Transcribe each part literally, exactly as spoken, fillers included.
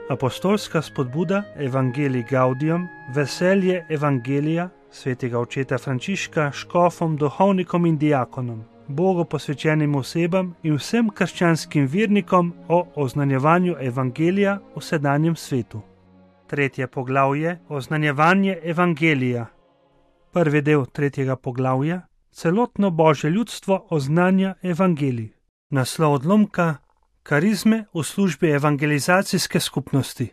Apostolska spodbuda Evangelii Gaudium, veselje Evangelija svetega očeta Frančiška škofom, duhovnikom in diakonom, Bogu posvečenim osebam in vsem krščanskim vernikom o oznanjevanju Evangelija v sedanjem svetu. Tretje poglavje, oznanjevanje Evangelija. Prvi del tretjega poglavja, celotno Božje ljudstvo oznanja Evangelij. Naslov odlomka, karizme v službi evangelizacijske skupnosti.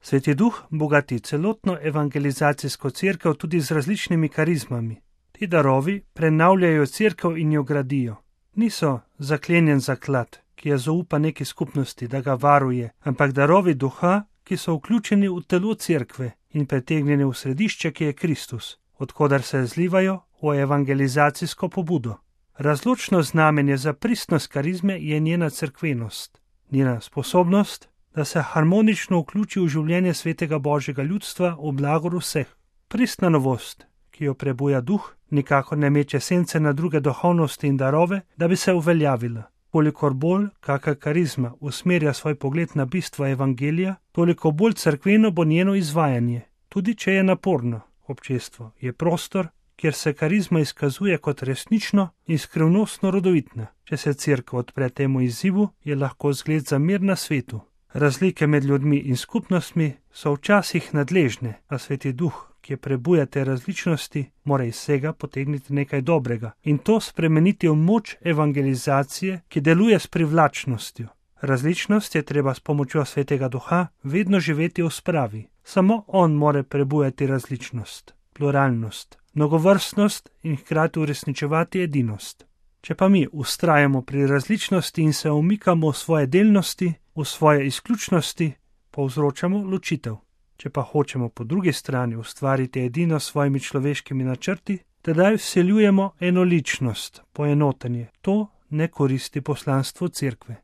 Sveti Duh bogati celotno evangelizacijsko cerkev tudi z različnimi karizmami. Ti darovi prenavljajo cerkev in jo gradijo. Niso zaklenjen zaklad, ki je zaupa neki skupnosti, da ga varuje, ampak darovi duha, ki so vključeni v telo cerkve in pretegnjeni v središče, ki je Kristus, odkudar se zlivajo v evangelizacijsko pobudo. Razločno znamenje za pristnost karizme je njena cerkvenost, njena sposobnost, da se harmonično vključi v življenje svetega Božjega ljudstva v blagor vseh. Pristna novost, ki jo prebuja duh, nikakor ne meče sence na druge duhovnosti in darove, da bi se uveljavila. Kolikor bolj kakšna karizma usmerja svoj pogled na bistvo evangelija, toliko bolj cerkveno bo njeno izvajanje, tudi če je naporno. Občestvo je prostor, kjer se karizma izkazuje kot resnično in skrivnostno rodovitna. Če se cerkev odpre temu izzivu, je lahko zgled za mir na svetu. Razlike med ljudmi in skupnostmi so včasih nadležne, a sveti duh, ki prebuja te različnosti, mora iz vsega potegniti nekaj dobrega in to spremeniti v moč evangelizacije, ki deluje s privlačnostjo. Različnost je treba s pomočjo svetega duha vedno živeti v spravi. Samo on more prebujati različnost, pluralnost, mnogovrstnost in hkrati uresničevati edinost. Če pa mi vztrajamo pri različnosti in se umikamo v svoje delnosti, v svoje izključnosti, povzročamo ločitev. Če pa hočemo po drugi strani ustvariti edino s svojimi človeškimi načrti, tedaj vseljujemo enoličnost, poenotenje. To ne koristi poslanstvu cerkve.